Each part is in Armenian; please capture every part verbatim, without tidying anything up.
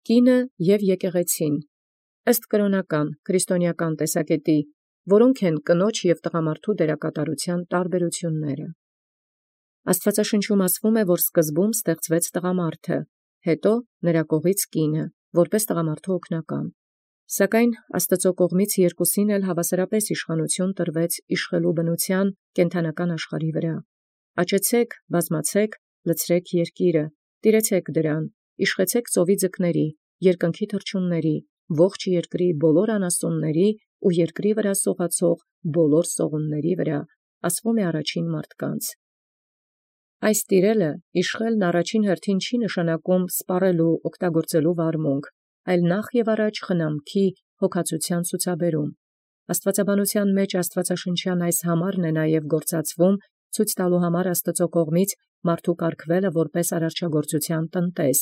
Կինը և եկեղեցին, ըստ կրաւնական քրիստոնեական տեսակետի, որոնք են կնոջ և տղամարդու դերակատարութեան տարբերութիւնսն։ Աստուածաշնչում ասվում է, որ սկզբում ստեղծվեց տղամարդը, հետո նրա կողից կինը, որպէս տղամարդու օգնական. սակայն Աստուծոյ կողմից երկուսին էլ հաւասարապէս իշխանութիւն տրվեց իշխելու բնութեան կենդանական աշխարհի վրա. Աճեցէք, բազմացէք, լցրեք երկիրը, տիրեցէք դրան, իշխեցէք ծովի ձկների, երկնքի թռչունների, ողջ երկրի բոլոր անասունների ու երկրի վրա սողացող բոլոր սողունների վրա, ասվում է առաջին մարդկանց։ Այս տիրելը իշխելն առաջին հերթին չի նշանակում սպառելու օգտագործելու վարմունք, այլ նախ եւ առաջ խնամքի, հոգացութեան ցուցաբերում։ Աստուածաբանութեան մեջ աստուածաշնչյան այս համարն է նաև գործածվում ցույց տալու համար Աստուծոյ կողմից մարդու կարգվելը որպէս արարչագործութեան տնտես։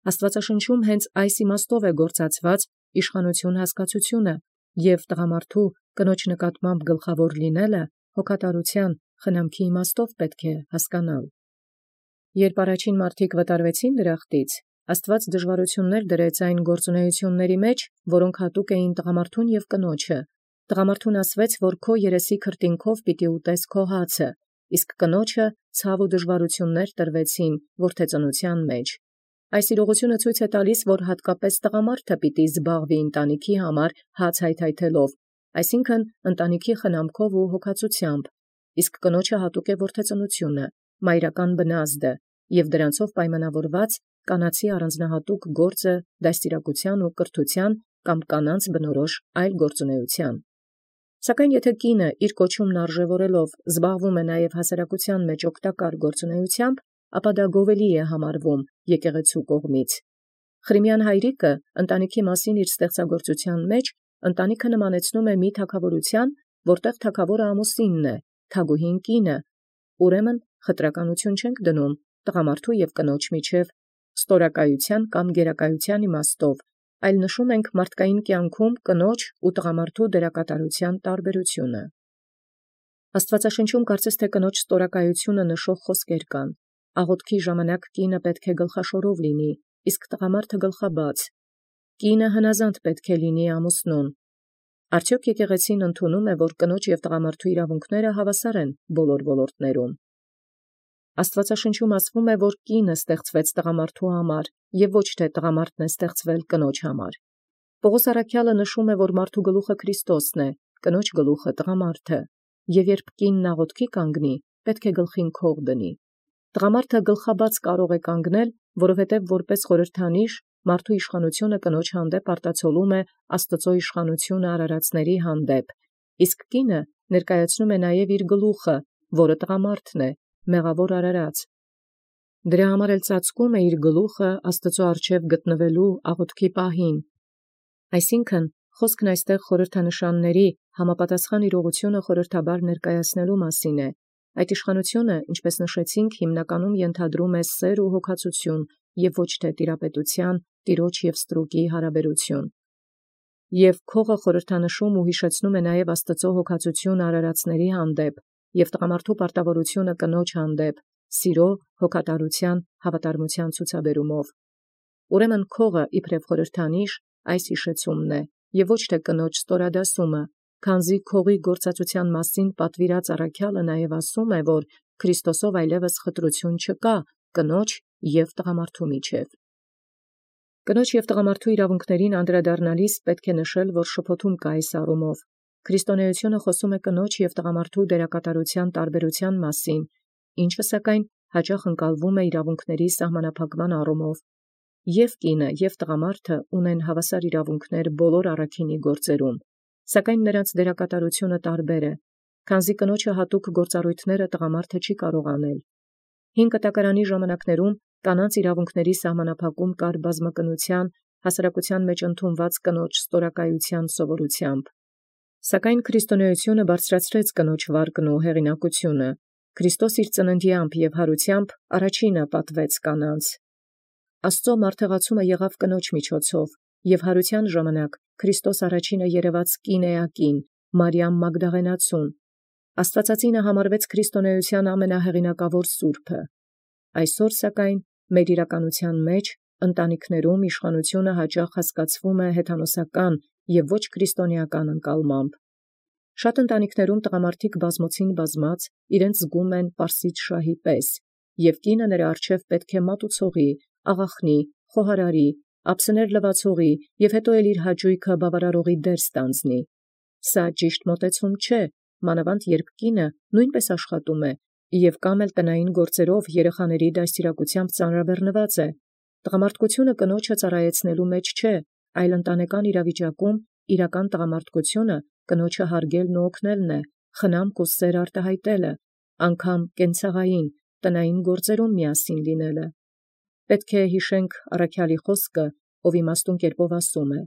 Աստուածաշնչում հենց այս իմաստով է գործածված իշխանութիւն հասկացութիւնը և տղամարդու կնոջ նկատմամբ գլխաւոր լինելը հոգատարութեան, խնամքի իմաստով պետք է հասկանալ։ Երբ առաջին մարդիկ վտարվեցին դրախտից, Աստուած դժուարութիւններ դրեց այն գործունեութիւնացն մեջ, որոնք հատուկ էին տղամարդուն և կնոջը. տղամարդուն ասվեց, որ քո երեսի քրտինքով պիտի ուտես քո հացը, իսկ կնոջը ցաւ ու դժուարութիւններ տրվեցին որդեծնութեան մեջ։ Այս իրողությունը ցույց է տալիս, որ հատկապես տղամարդը պիտի զբաղվի ընտանիքի համար հաց հայթայթելով, այսինքն ընտանիքի խնամքով ու հոգացութեամբ, իսկ կնոջը հատուկ է որդեծնութիւնը, մայրական բնազդը և դրանցով պայմանավորված կանացի առանձնահատուկ գործը դաստիարակութեան ու կրթութեան կամ կանանց բնորոշ այլ գործունեութեան։ Սակայն եթե կինը իր կոչումն արժեւորելով զբաղվում է նաև հասարակութեան մեջ օգտակար գործունեութեամբ, ապա դա գովելի է համարվում եկեղեցու կողմից։ Խրիմեան հայրիկը ընտանիքի մասին իր ստեղծագործութեան մեջ ընտանիքը նմանեցնում է մի թագաւորութեան, որտեղ թագաւորը ամուսինն է, թագուհին կինը, ուրեմն խտրականութիւն չենք դնում տղամարդու և կնոջ միջև ստորակայութեան կամ գերակայութեան իմաստով, այլ նշում ենք մարդկային կյանքում կնոջ ու տղամարդու դերակատարութեան տարբերութիւնը։ Աստուածաշնչում կարծես թե կնոջ ստորակայութիւնը նշող խոսքեր կան. աղոթքի ժամանակ կինը պետք է գլխաշորով լինի, իսկ տղամարդը գլխաբաց. կինը հնազանդ պետք է լինի ամուսնուն։ Արդյոք եկեղեցին ընդունում է, որ կնոջ և տղամարդու իրավունքները հավասար են բոլոր ոլորտներում։ Աստուածաշնչում ասվում է, որ կինը ստեղծվեց տղամարդու համար և ոչ թե տղամարդն է ստեղծվել կնոջ համար։ Պողոս առաքյալը նշում է, որ մարդու գլուխը Քրիստոսն է, կնոջ գլուխը տղամարդը, և երբ կինն աղոթքի կանգնի, պետք է գլխին քող դնի։ Տղամարդը գլխաբաց կարող է կանգնել, որովհետև որպես խորհրդանիշ մարդու իշխանութիւնը կնոջ հանդեպ արտացոլում է Աստուծոյ իշխանութիւնը արարածների հանդեպ, իսկ կինը ներկայացնում է նաև իր գլուխը, որը տղամարդն է, մեղավոր արարած։ Դրա համար էլ ծածկում է իր գլուխը Աստուծոյ առջև գտնվելու աղոթքի պահին։ Այսինքն խոսքն այստեղ խորհրդանշանների համապատասխան իրողությունը խորհրդաբար ներկայացնելու մասին է։ Այդ իշխանութիւնը, ինչպես նշեցինք, հիմնականում ենթադրում է սեր ու հոգացութիւն և ոչ թե տիրապետութեան, տիրոջ և ստրուկի հարաբերութիւն։ Եւ քողը խորհրդանշում ու յիշեցնում է նաև Աստուծոյ հոգացութիւնը արարածների հանդեպ և տղամարդու պարտավորութիւնը կնոջ հանդեպ, սիրո, հոգատարութեան, հավատարմութեան ցուցաբերումով։ Ուրեմն քողը իբրև խորհրդանիշ այս յիշեցումն է, և ոչ թե կնոջ ստորադասումը, քանզի քողի գործածութեան մասին պատվիրած առաքյալը նաև ասում է, որ Քրիստոսով այլևս խտրություն չկա կնոջ և տղամարդու միջև։ Կնոջ և տղամարդու իրավունքներին անդրադառնալիս պետք է նշել, որ շփոթում կա այս առումով։ Քրիստոնեությունը խոսում է կնոջ և տղամարդու դերակատարութեան տարբերութեան մասին, ինչը սակայն հաճախ ընկալվում է իրավունքների սահմանափակման առումով։ Եւ կինը և տղամարդը ունեն հավասար իրավունքներ բոլոր առաքինի գործերում, սակայն նրանց դերակատարութիւնը տարբեր է, քանզի կնոջը հատուկ գործառոյթները տղամարդը չի կարող անել։ Հին կտակարանի ժամանակներում կանանց իրավունքների սահմանափակում կար բազմակնութեան, հասարակութեան մեջ ընդունված կնոջ ստորակայութեան սովորութեամբ։ Սակայն քրիստոնեությունը բարձրացրեց կնոջ վարկն ու հեղինակությունը։ Քրիստոս իր ծննդեամբ և հարութեամբ առաջինը պատվեց կանանց։ Աստծո մարդեղացումը եղավ կնոջ միջոցով, և հարութեան ժամանակ Քրիստոս առաջինը երևաց կինեակին, Մարիամ Մագդաղենացուն։ Աստվածածինը համարվեց քրիստոնեության ամենահեղինակավոր սուրբը։ Այսօր սակայն մեր իրականության մեջ ընտանիքներում իշխանությունը հաճախ հասկացվում է հեթանոսական և ոչ քրիստոնեական ընկալմամբ։ Շատ ընտանիքներում տղամարդիկ բազմոցին բազմած իրենց զգում են պարսից շահի պես, և կինը նրա առջև պետք է մատուցողի, աղախնի, խոհարարի, ափսեներ լվացողի և հետո էլ իր հաճույքը բավարարողի դեր ստանձնի։ Սա ճիշտ մոտեցում չէ, մանավանդ երբ կինը նույնպես աշխատում է և կամ էլ տնային գործերով երեխաների դաստիարակությամբ ծանրաբեռնված է։ Տղամարդկությունը կնոջը ծառայեցնելու մեջ չէ, այլ ընտանեկան իրավիճակում իրական տղամարդկությունը կնոջը հարգելն ու օգնելն է, խնամք ու սեր արտահայտելը, անգամ կենցաղային, տնային գործերում միասին լինելը։ Պետք է հիշենք առաքյալի խոսքը, ով իմաստուն կերպով ասում է.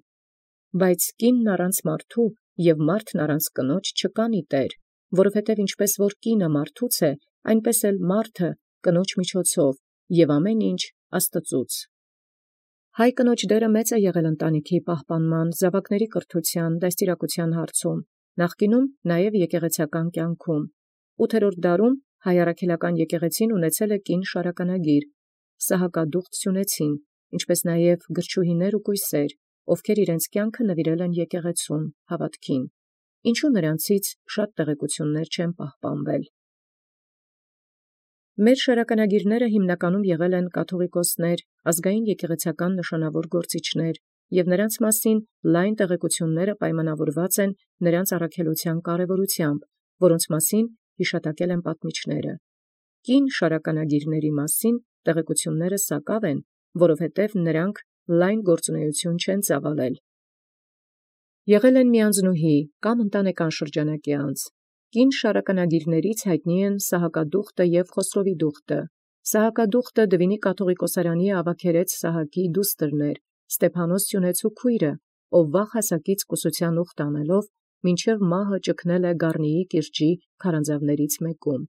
«Բայց կինն առանց մարդու և մարդն առանց կնոջ չկանի տեր, որովհետև ինչպես որ կինը մարդուց է, այնպես էլ մարդը կնոջ միջոցով, և ամեն ինչ Աստծուց»։ Հայ կնոջ դերը մեծ է եղել ընտանիքի պահպանման, զավակների կրթության, դաստիարակության հարցում, նախկինում նաև եկեղեցական կյանքում։ Ութերորդ դարում հայ առաքելական եկեղեցին ունեցել է կին շարականագիր, սահակադուխտ սյունեցին, ինչպես նաև գրչուհիներ ու կույսեր, ովքեր իրենց կյանքը նվիրել են եկեղեցուն, հավատքին, ինչու նրանցից շատ տեղեկություններ չեն պահպանվել։ Մեր շարականագիրները հիմնականում եղել են կաթողիկոսներ, ազգային եկեղեցական նշանավոր գործիչներ, և նրանց մասին լայն տեղեկությունները պայմանավորված են նրանց առաքելության կարևորությամբ, որոնց մասին հիշատակել են պատմիչները։ Կին շարականագիրների մասին տեղեկությունները սակավ են, որովհետև նրանք լայն գործունեություն չեն ծավալել։ Եղել են միանձնուհի կամ ընտանեկան շրջանակի անձ։ Կին շարականագիրներից հայտնի են Սահակադուխտը և Խոսրովիդուխտը։ Սահակադուխտը Դվինի կաթողիկոսարանի ավագերեց Սահակի դուստրն էր, Ստեփանոս սյունեցու քույրը, ով վաղ հասակից կուսության ուխտ անելով մինչև մահը ճգնել է Գառնիի կիրճի քարանձավներից մեկում։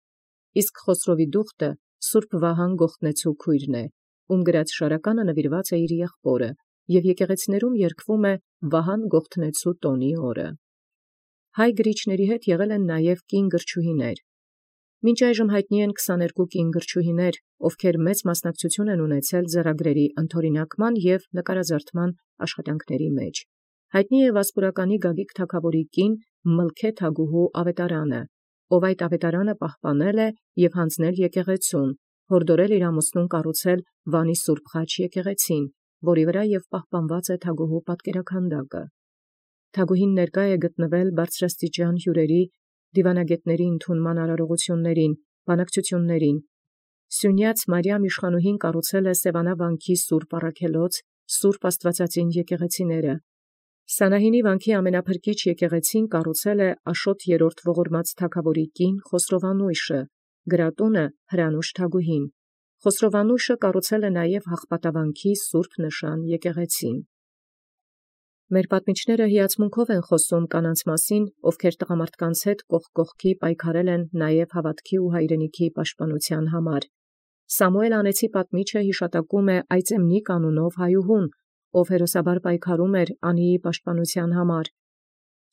Իսկ Խոսրովիդուխտը Սուրբ Վահան Գողթնեցու քույրն է, ում գրած շարականը նվիրված է իր եղբորը, և եկեղեցիներում երգվում է Վահան Գողթնեցու տոնի օրը։ Հայ գրիչների հետ եղել են նաև կին գրչուհիներ։ Մինչ այժմ հայտնի են քսաներկու կին գրչուհիներ, ովքեր մեծ մասնակցություն են ունեցել ձեռագրերի ընդօրինակման և նկարազարդման աշխատանքների մեջ։ Հայտնի է Վասպուրականի Գագիկ թագավորի կին Մլքե թագուհու ավետարանը, ով այդ ավետարանը պահպանել է և հանձնել եկեղեցուն, հորդորել իր ամուսնուն կառուցել Վանի Սուրբ Խաչ եկեղեցին, որի վրա և պահպանված է թագուհու պատկերաքանդակը։ Թագուհին ներկա է գտնվել բարձրաստիճան հյուրերի, դիվանագետների ընդունման արարողություններին, բանակցություններին։ Սյունյաց Մարիամ իշխանուհին կառուցել է Սևանա վանքի Սուրբ Առաքելոց, Սուրբ Աստվածածին եկեղեցիները։ Սանահինի վանքի ամենափրկիչ եկեղեցին կառուցել է Աշոտ երրորդ ողորմած թագավորի կին Խոսրովանուշը, գրատունը Հրանուշ թագուհին։ Խոսրովանուշը կառուցել է նաև Հաղպատավանքի Սուրբ Նշան եկեղեցին։ Մեր պատմիչները հիացմունքով են խոսում կանանց մասին, ովքեր տղամարդկանց հետ կողք կողքի պայքարել են նաև հավատքի ու հայրենիքի պաշտպանության համար։ Սամուել անեցի պատմիչը հիշատակում է Այծեմնիկ անունով հայուհուն, ով հերոսաբար պայքարում էր անիի պաշտպանության համար։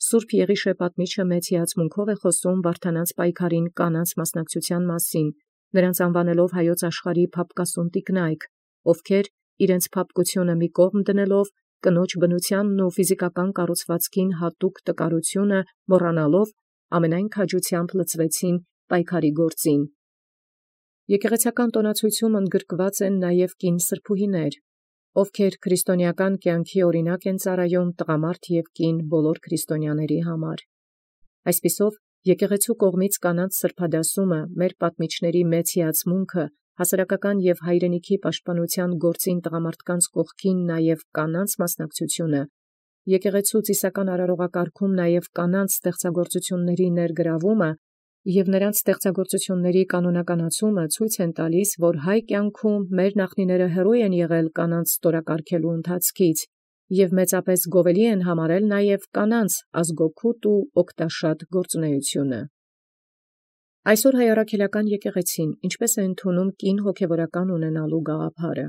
Սուրբ Եղիշե պատմիչը մեծ հիացմունքով է խոսում Վարդանանց պայքարին կանանց մասնակցության մասին, նրանց անվանելով հայոց աշխարհի փափկասուն տիկնայք, ովքեր իրենց փափկությունը մի կողմ դնելով, կնոջ բնությանն ու ֆիզիկական կառուցվածքին հատուկ տկարությունը մոռանալով ամենայն քաջությամբ լծվեցին պայքարի գործին։ Եկեղեցական տոնացույցում ընդգրկված են նաև կին սրբուհիներ, ովքեր քրիստոնեական կյանքի օրինակ են ծառայում տղամարդ և կին բոլոր քրիստոնյաների համար։ Այսպիսով, եկեղեցու կողմից կանանց սրբադասումը մեր պատմիչների մեծ հիացմունքը, հասարակական և հայրենիքի պաշտպանության գործին տղամարդկանց կողքին նաև կանանց մասնակցությունը, եկեղեցու ծիսական արարողակարգում նաև կանանց ստեղծագործությունների ներգրավումը և նրանց ստեղծագործությունների կանոնականացումը ցույց են տալիս, որ հայ կյանքում մեր նախնիները հեռու են եղել կանանց ստորակարգելու ընթացքից և մեծապես գովելի են համարել նաև կանանց ազգօգուտ ու օգտաշատ գործունեությունը։ Այսօր հայ առաքելական եկեղեցին ինչպես է ընդունում կին հոգևորական ունենալու գաղափարը։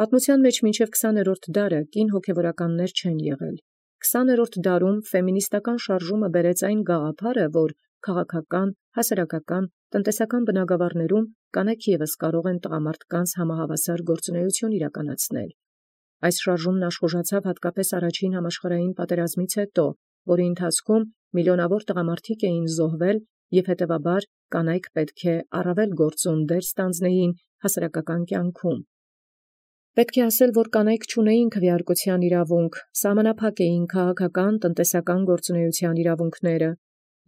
Պատմության մեջ մինչև քսաներորդ դարը կին հոգևորականներ չեն եղել։ Քսաներորդ դարում ֆեմինիստական շարժումը բերեց այն գաղափարը, որ քաղաքական, հասարակական, տնտեսական բնագավառներում կանայք ևս կարող են տղամարդկանց համահավասար գործունեություն իրականացնել։ Այս շարժումն աշխուժացավ հատկապես առաջին համաշխարհային պատերազմից հետո, որի ընթացքում միլիոնավոր տղամարդիկ էին զոհվել և հետևաբար կանայք պետք է առավել գործուն դեր ստանձնեին հասարակական կյանքում։ Պետք է ասել, որ կանայք չունեին քվեարկության իրավունք, սահմանափակ էին քաղաքական, տնտեսական գործունեության իրավունքները,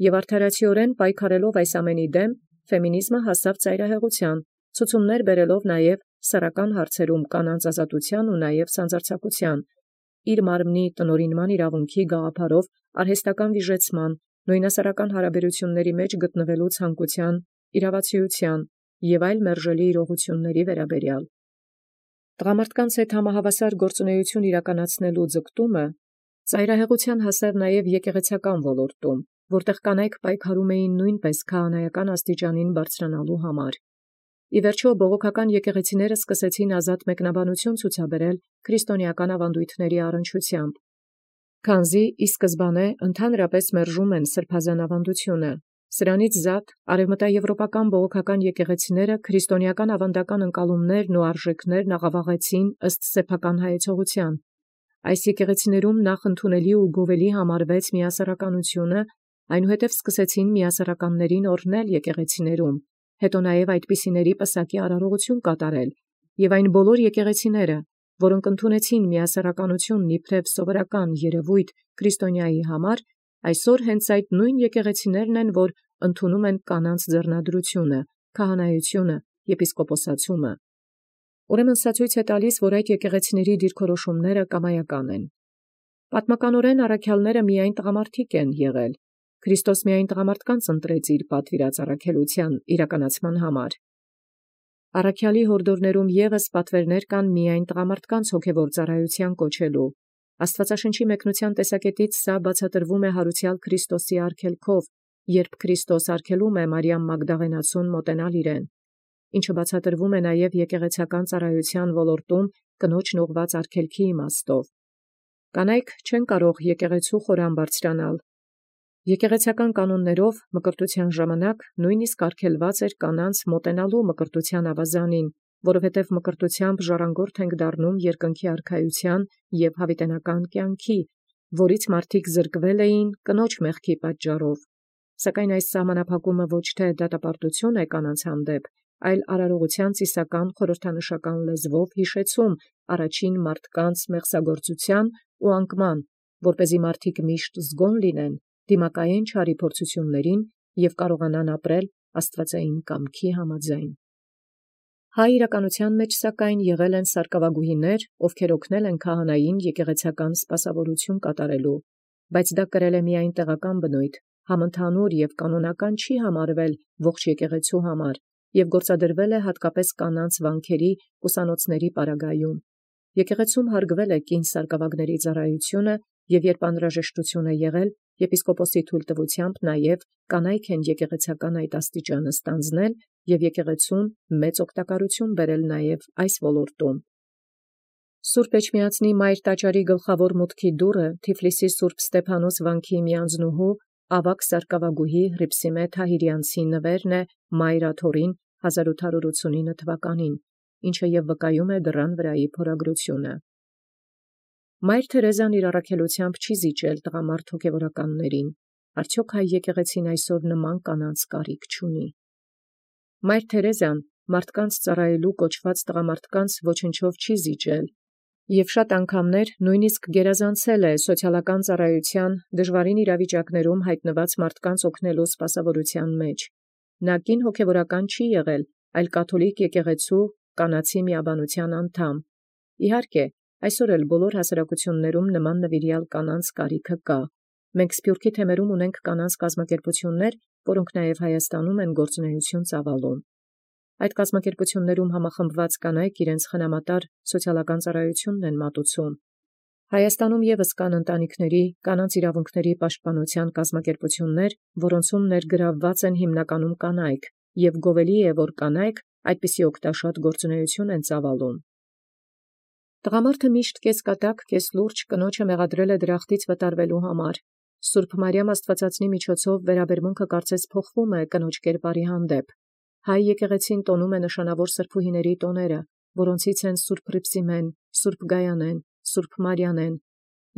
և արդարացիորեն պայքարելով այս ամենի դեմ, ֆեմինիզմը հասավ ծայրահեղության, ցուցումներ բերելով նաև սեռական հարցերում կանանց ազատության ու նաև սանձարձակության, իր մարմնի տնօրինման իրավունքի գաղափարով արհեստական վիժեցման, նոյնասեռական հարաբերությունների մեջ գտնվելու ցանկության, իրավացիության և այլ մերժելի իրողությունների վերաբերյալ։ Տղամարդկանց հետ համահավասար գործունեություն իրականացնելու ձգտումը ծայրահեղության հասավ նաև եկեղեցական ոլորտում, որտեղ կանայք պայքարում էին նույնպես քահանայական աստիճանին բարձրանալու համար։ Ի վերջո բողոքական եկեղեցիները սկսեցին ազատ մեկնաբանություն ցուցաբերել քրիստոնեական ավանդույթների առնչությամբ, քանզի ի սկզբանե ընդհանրապես մերժում են սրբազան ավանդությունը։ Սրանից զատ արևմտաեվրոպական բողոքական եկեղեցիները քրիստոնեական ավանդական ընկալումներն ու արժեքներն աղավաղեցին ըստ սեփական հայեցողության։ Այս եկեղեցիներում նախ ընդունելի ու գովելի համարվեց միասեռականությունը, այնուհետև սկսեցին միասեռականներին օրհնել եկեղեցիներում, հետո նաև այդպիսիների պսակի արարողություն կատարել, և այն բոլոր եկեղեցիները, որոնք ընդունեցին միասեռականությունն իբրև սովորական երևույթ քրիստոնյայի համար, այսօր հենց այդ նույն եկեղեցիներն են, որ ընդունում են կանանց ձեռնադրությունը, քահանայությունը, եպիսկոպոսացումը։ Ուրեմն սա ցույց է տալիս, որ այդ եկեղեցիների դիրքորոշումները կամայական են։ Պատմականորեն առաքյալները միայն տղամարդիկ են եղել։ Քրիստոս միայն տղամարդկանց ընտրեց իր պատվիրած առաքելության իրականացման համար։ Առաքյալի հորդորներում ևս պատվերներ կան միայն տղամարդկանց հոգևոր ծառայության կոչելու։ Աստվածաշնչի մեկնության տեսակետից սա բացատրվում է հարուցյալ Քրիստոսի արգելքով, երբ Քրիստոս արգելում է Մարիամ Մագդաղենացուն մոտենալ իրեն, ինչը բացատրվում է նաև եկեղեցական ծառայության ոլորտում կնոջն ուղղված արգելքի իմաստով։ Կանայք չեն կարող եկեղեցու խորան բարձրանալ։ Եկեղեցական կանոններով մկրտության ժամանակ նույնիսկ արգելված էր կանանց մոտենալու մկրտության ավազանին, որովհետև մկրտությամբ ժառանգորդ ենք դառնում երկնքի արքայության և հավիտենական կյանքի, որից մարդիկ զրկվել էին կնոջ մեղքի պատճառով։ Սակայն այս սահմանափակումը ոչ թե դատապարտություն է կանանց հանդեպ, այլ արարողության ծիսական խորհրդանշական լեզվով հիշեցում առաջին մարդկանց մեղսագործության ու անկման, որպեսզի մարդիկ միշտ զգոն լինեն դիմակայեն չարի փորձություններին և կարողանան ապրել աստվածային կամքի համաձայն։ Հայ իրականության մեջ սակայն եղել են սարկավագուհիներ, ովքեր օգնել են քահանային եկեղեցական սպասավորություն կատարելու, բայց դա կրել է միայն տեղական բնույթ, համընդհանուր և կանոնական չի համարվել ողջ եկեղեցու համար և գործադրվել է հատկապես կանանց վանքերի ուսանոցների պարագայում։ Եկեղեցում հարգվել է կին սարկավագների ծառայությունը և երբ անհրաժեշտություն է եղել, եպիսկոպոսի թույլտվությամբ նաև կանայք են եկեղեցական այդ աստիճանը ստանձնել և եկեղեցուն մեծ օգտակարություն բերել նաև այս ոլորտում։ Սուրբ Էջմիածնի Մայր տաճարի գլխավոր մուտքի դուռը Թիֆլիսի Սուրբ Ստեփանոս վանքի միանձնուհու ավագ սարկավագուհի Հռիփսիմե Թահիրյանցի նվերն է Մայր աթոռին հազար ութ հարյուր ութսունինը թվականին, ինչը և վկայում է դռան վրայի փորագրությունը։ Մայր Թերեզան իր առաքելությամբ չի զիջել տղամարդ հոգևորականներին, արդյոք հայ եկեղեցին այսօր նման կանանց կարիք չունի։ Մայր Թերեզան մարդկանց ծառայելու կոչված տղամարդկանց ոչնչով չի զիջել և շատ անգամներ նույնիսկ գերազանցել է սոցիալական ծառայության դժվարին իրավիճակներում հայտնված մարդկանց օգնելու սպասավորության մեջ։ Նա կին հոգևորական չի եղել, այլ կաթոլիկ եկեղեցու կանացի միաբանության անդամ։ Իհարկե, այսօր էլ բոլոր հասարակություններում նման նվիրյալ կանանց կարիքը կա։ Մենք Սփյուռքի թեմերում ունենք կանանց կազմակերպություններ, որոնք նաև Հայաստանում են գործունեություն ծավալում։ Այդ կազմակերպություններում համախմբված կանայք իրենց խնամատար սոցիալական ծառայությունն են մատուցում։ Հայաստանում ևս կան ընտանիքների կանանց իրավունքների պաշտպանության կազմակերպություններ, որոնցում ներգրավված են հիմնականում կանայք, և գովելի է, որ կանայք այդպիսի օգտաշատ գործունեություն են ծավալում։ Տղամարդը միշտ կես կատակ, կես լուրջ կնոջը մեղադրել է դրախտից վտարվելու համար, Սուրբ Մարիամ Աստուածածնի միջոցով վերաբերմունքը կարծես փոխվում է կնոջ կերպարի հանդեպ։ Հայ եկեղեցին տոնում է նշանավոր սրբուհիների տոները, որոնցից են Սուրբ Պրիպսիմեն, Սուրբ Գայանեն, Սուրբ Մարիանեն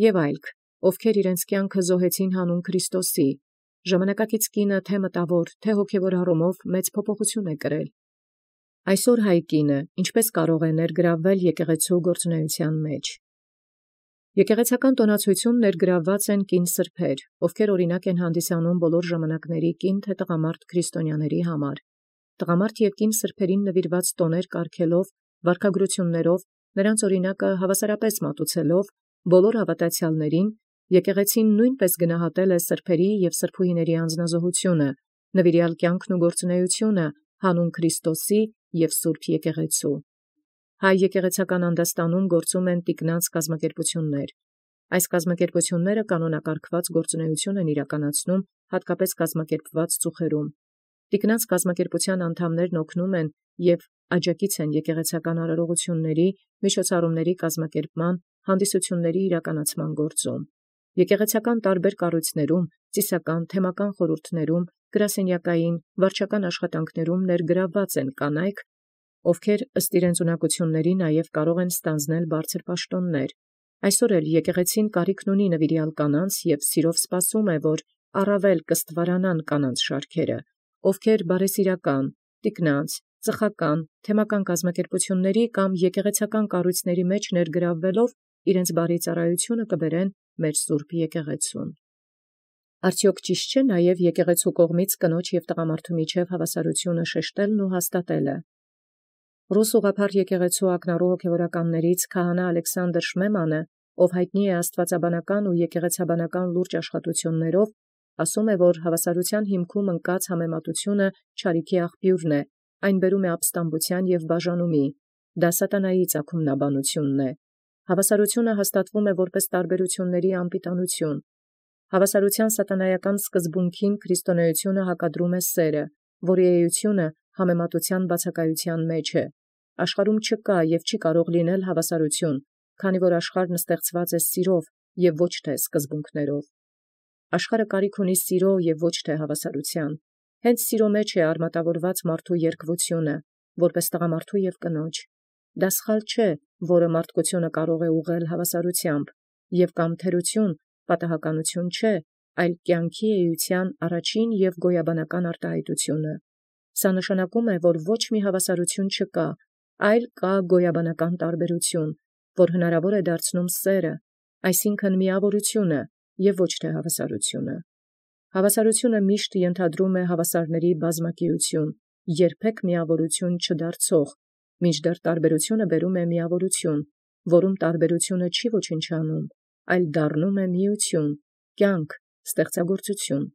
եւ այլք, ովքեր իրենց կյանքը զոհեցին հանուն Քրիստոսի։ Ժամանակակից կինը թե մտավոր, թե հոգևոր առումով մեծ փոփոխություն է կրել։ Այսօր հայ կինը ինչպես կարող է ներգրավվել եկեղեցու գործունեության մեջ։ Եկեղեցական տոնացույցում ներգրավված են կին սրբեր, ովքեր օրինակ են հանդիսանում բոլոր ժամանակների կին թե տղամարդ քրիստոնյաների համար։ Տղամարդ և կին սրբերին նվիրված տոներ կարգելով, վարքագրություններով, նրանց օրինակը հավասարապես մատուցելով, բոլոր հավատացյալներին, եկեղեցին նույնպես գնահատել է սրբերի և սրբուհիների անձնազոհությունը, նվիրյալ կյանքն ու գործունեությունը հանուն Քրիստոսի և Սուրբ եկեղեցու։ Հայ եկեղեցական անդաստանում գործում են տիկնանց կազմակերպություններ։ Այս կազմակերպությունները կանոնակարգված գործունեություն են իրականացնում հատկապես կազմակերպված ծուխերում։ Տիկնանց կազմակերպության անդամներն օգնում են և աջակից են եկեղեցական արարողությունների, միջոցառումների կազմակերպման, հանդիսությունների իրականացման գործում։ Եկեղեցական տարբեր կառույցներում, ծիսական, թեմական խորհուրդներում, գրասենյակային, վարչական աշխատանքներում ներգրավված են կանայք, ովքեր ըստ իրենց ունակությունների նաև կարող են ստանձնել բարձր պաշտոններ։ Այսօր էլ եկեղեցին կարիքն ունի նվիրյալ կանանց և սիրով սպասում է, որ առավել կստվարանան կանանց շարքերը, ովքեր բարեսիրական, տիկնանց, ծխական, թեմական կազմակերպությունների կամ եկեղեցական կառույցների մեջ ներգրավվելով իրենց բարի ծառայությունը կբերեն մեր Սուրբ եկեղեցուն։ Արդյոք ճիշտ չէ նաև եկեղեցու կողմից կնոջ և տղամարդու միջև հավասարությունը շեշտելն ու հաստատելը։ Ռուս ուղղափառ եկեղեցու ակնառու հոգևորականներից քահանա Ալեքսանդր Շմեմանը, ով հայտնի է աստվածաբանական ու եկեղեցաբանական լուրջ աշխատություններով, ասում է, որ հավասարության հիմքում ընկած համեմատությունը չարիքի աղբյուրն է, այն բերում է ապստամբության և բաժանումի, դա սատանայի ծագումնաբանությունն է։ Հավասարությունը հաստատվում է որպես տարբերությունների անպիտանություն։ Հավասարության սատանայական սկզբունքին քրիստոնեությունը հակադրում է սերը, որի էությունը համեմատության բացակայության մեջ է։ Աշխարհում չկա և չի կարող լինել հավասարություն, քանի որ աշխարհն ստեղծված է սիրով և ոչ թե սկզբունքներով։ Աշխարհը կարիք ունի սիրո և ոչ թե հավասարության։ Հենց սիրո մեջ է արմատավորված մարդու երկվությունը, որպես տղամարդու և կնոջ։ Դա սխալ չէ, որը մարդկությունը կարող է ուղղել հավասարությամբ, և կամ թերություն, պատահականություն չէ, այլ կյանքի էության առաջին և գոյաբանական արտահայտությունը։ Սա նշանակում է, որ ոչ մի հավասարություն չկա, այլ կա գոյաբանական տարբերություն, որ հնարավոր է դարձնում սերը, այսինքն միավորությունը և ոչ թե հավասարությունը։ Հավասարությունը միշտ ենթադրում է հավասարների բազմակիություն, երբեք միավորություն չդարձող, մինչդեռ տարբերությունը բերում է միավորություն, որում տարբերությունը չի ոչնչանում, այլ դառնում է միություն, կյանք, ստեղծագործություն։